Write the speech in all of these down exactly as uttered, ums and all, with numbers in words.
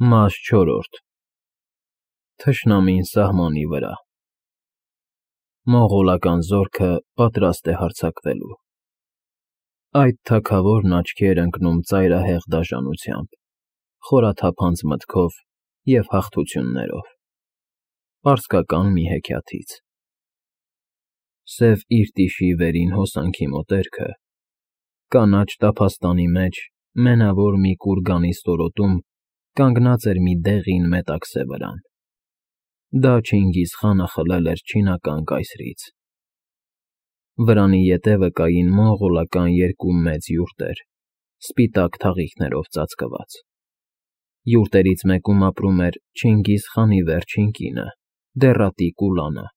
Մաս չորրորդ Թշնամին սահմանի վրա Մոնղոլական զորքը պատրաստ է հարձակվելու։ Այդ թագավորն աչքի էր ընկնում ծայրահեղ դաժանությամբ, խորաթափանց մտքով և հաղթություններով, պարսկական մի հեքիաթից։ Սև Իրտիշի վերին հոսանքի մոտերքը, կանաչ տափաստանի մեջ, մենավոր մի կուրգանի ստորոտում կանգնած էր մի դեղին մետաքսե վրան։ Դա Չինգիզ խանը խլել էր չինական կայսրից։ Վրանի ետևը կային մոնղոլական երկու մեծ յուրտեր, սպիտակ թաղիքներով ծածկված։ Յուրտերից մեկում ապրում էր Չինգիզ խանի վերջին կինը՝ Դեռատի Կուլանը,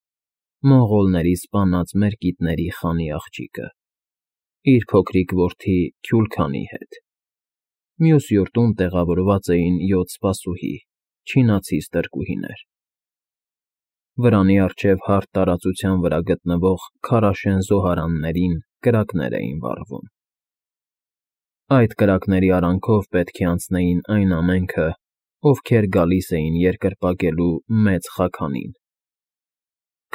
մոնղոլների սպանած մերկիտների խանի աղջիկը, իր փոքրիկ որդի Քյուլքանի հետ։ Մյուս յուրտում տեղավորված էին յոթ սպասուհի, չինացի ստրկուհիներ։ Վրանի առջև հարթ տարածության վրա գտնվող քարաշեն զոհարաններին կրակներ էին վառվում։ Այդ կրակների արանքով պետք է անցնեին այն ամենքը, ովքեր գալիս էին երկրպագելու Մեծ Խաքանին։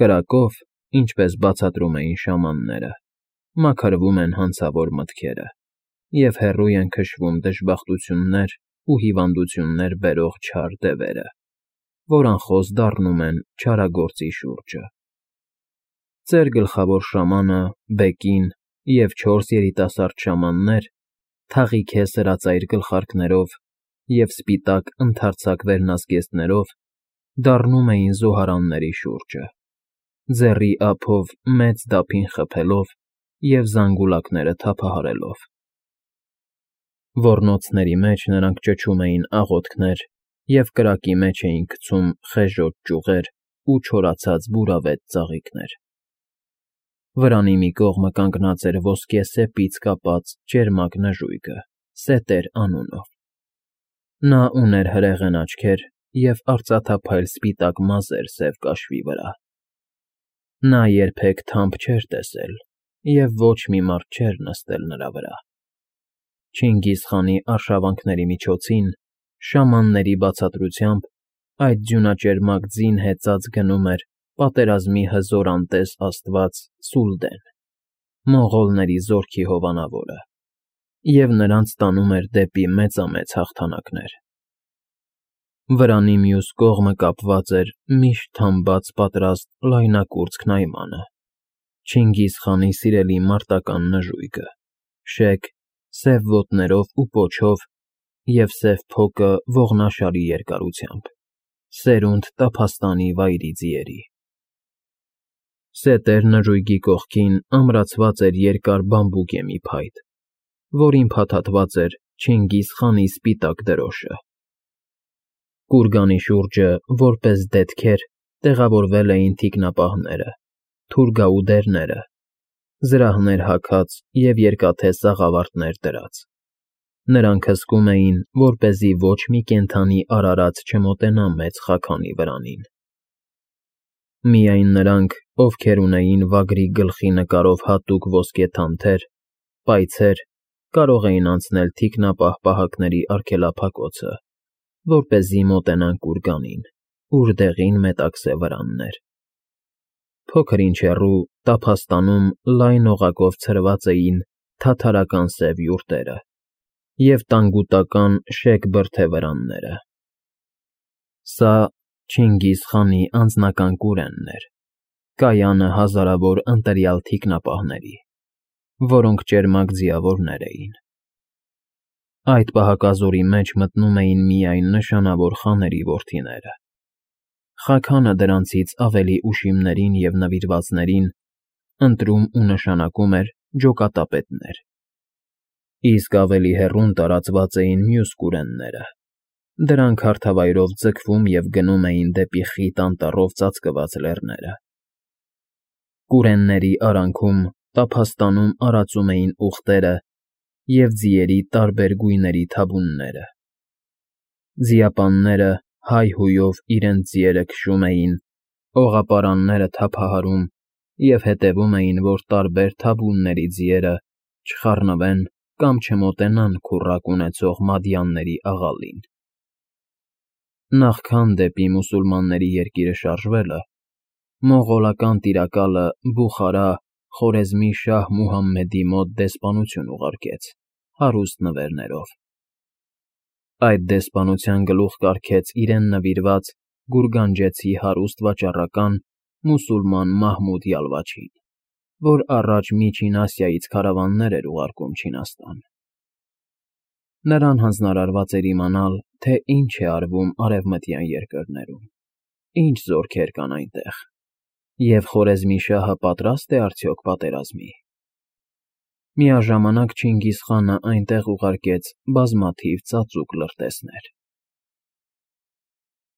Կրակով, ինչպես բացատրում էին շամանները, մաքրվում են հանցավոր մտքերը և հեռու են քշվում դժբախտություններ ու հիվանդություններ բերող չար դևերը, որ անխոս դառնում են չարագործի շուրջը։ Ծեր գլխավոր շամանը, Բեկին և չորս երիտասարդ շամաններ, թաղի սրածայր գլխարկներով և սպիտակ ընդարձակ վերնազգեստներով, դառնում էին զոհարանների շուրջը, ձեռի ափով մեծ դափին խփելով և զանգուլակները թափահարելով։ Ոռնոցների մեջ նրանք ճչում էին աղոթքներ և կրակի մեջ էին գցում խեժոտ ճյուղեր ու չորացած բուրավետ ծաղիկներ։ Վրանի մի կողմը կանգնած էր ոսկե սեպից կապած ճերմակ նժույգը՝ Սետեր անունով։ Նա ուներ հրեղեն աչքեր և արծաթափայլ սպիտակ մազեր սև կաշվի վրա։ Նա երբեք թամբ չէր տեսել և ոչ մի մարդ չէր նստել նրա վրա։ Չինգիզ խանի արշավանքների միջոցին, շամանների բացատրությամբ, այդ ձյունաճերմակ ձին հեծած գնում էր պատերազմի հզոր անտես աստված Սուլդեն, մոնղոլների զորքի հովանավորը, և նրանց տանում էր դեպի մեծամեծ հաղթանակներ։ Վրանի մյուս կողմը կապված էր միշտ թամբած պատրաստ լայնակուրծք Նայմանը, Չինգիզ խանի սիրելի մարտական նժույգը, շեկ, սև ոտներով ու պոչով և սև փոկը ողնաշարի երկարությամբ, սերունդ տափաստանի վայրի ձիերի։ Սետեր նժույգի կողքին ամրացված էր երկար բամբուկեմի փայտ, որին փաթաթված էր Չինգիզ խանի սպիտակ դրոշը։ Կուրգանի շուրջը, որպես դետքեր, տեղավորվել էին թիկնապահները, թուրգաուդերները, զրահներ հագած և երկաթե սաղավարտներ դրած։ Նրանք հսկում էին, որպեսզի ոչ մի կենդանի արարած չմոտենա Մեծ Խաքանի վրանին։ Միայն նրանք, ովքեր ունեին վագրի գլխի նկարով հատուկ ոսկե թանթեր, պայցեր, կարող էին անցնել թիկնապահ պահակների արգելափակոցը, որպեսզի մոտենան կուրգանին, ուր դեղին մետաքսե վրանն էր։ Փոքր-ինչ հեռու, տափաստանում լայն օղակով ցրված էին թաթարական սև յուրտերը և տանգուտական շեկ բրդե վրանները։ Սա Չինգիզ խանի անձնական կուրենն էր, կայանը հազարավոր ընտրյալ թիկնապահների, որոնք ճերմակ ձիավորներ էին։ Այդ պահակազորի մեջ մտնում էին միայն նշանավոր խաների որդիները։ Խաքանը դրանցից ավելի ուշիմներին և նվիրվածներին ընտրում ու նշանակում էր ջոկատապետներ, իսկ ավելի հեռուն տարածված էին մյուս կուրենները։ Դրանք հարթավայրով ձգվում և գնում էին դեպի խիտ անտառով ծածկված լեռները։ Կուրենների արանքում, տափաստանում արածում էին ուղտերը և ձիերի տարբեր գույների թավունները։ Ձիապանները հայ֊հույով իրենց ձիերը քշում էին, օղապարանները թափահարում և հետևում էին, որ տարբեր թավունների ձիերը չխառնվեն կամ չմոտենան քուռակ ունեցող մադյանների աղալին։ Նախքան դեպի մուսուլմանների երկիրը շարժվելը, մոնղոլական տիրակալը Բուխարա Խորեզմի շահ Մուհամմեդի մոտ դեսպանություն ուղարկեց հարուստ նվերներով։ Այդ դեսպանության գլուխ կարգեց իրեն նվիրված գուրգանջեցի հարուստ վաճառական մուսուլման Մահմուդ Յալվաչին, որ առաջ Միջին Ասիայից քարավաններ էր ուղարկում Չինաստան։ Նրան հանձնարարված էր իմանալ, թե ինչ է արվում արևմտյան երկրներում, ինչ զորքեր կան այնտեղ, և Խորեզմի շահը պատրա՞ստ է արդյոք պատերազմի։ Միաժամանակ Չինգիզ խանը այնտեղ ուղարկեց բազմաթիվ ծածուկ լրտեսներ։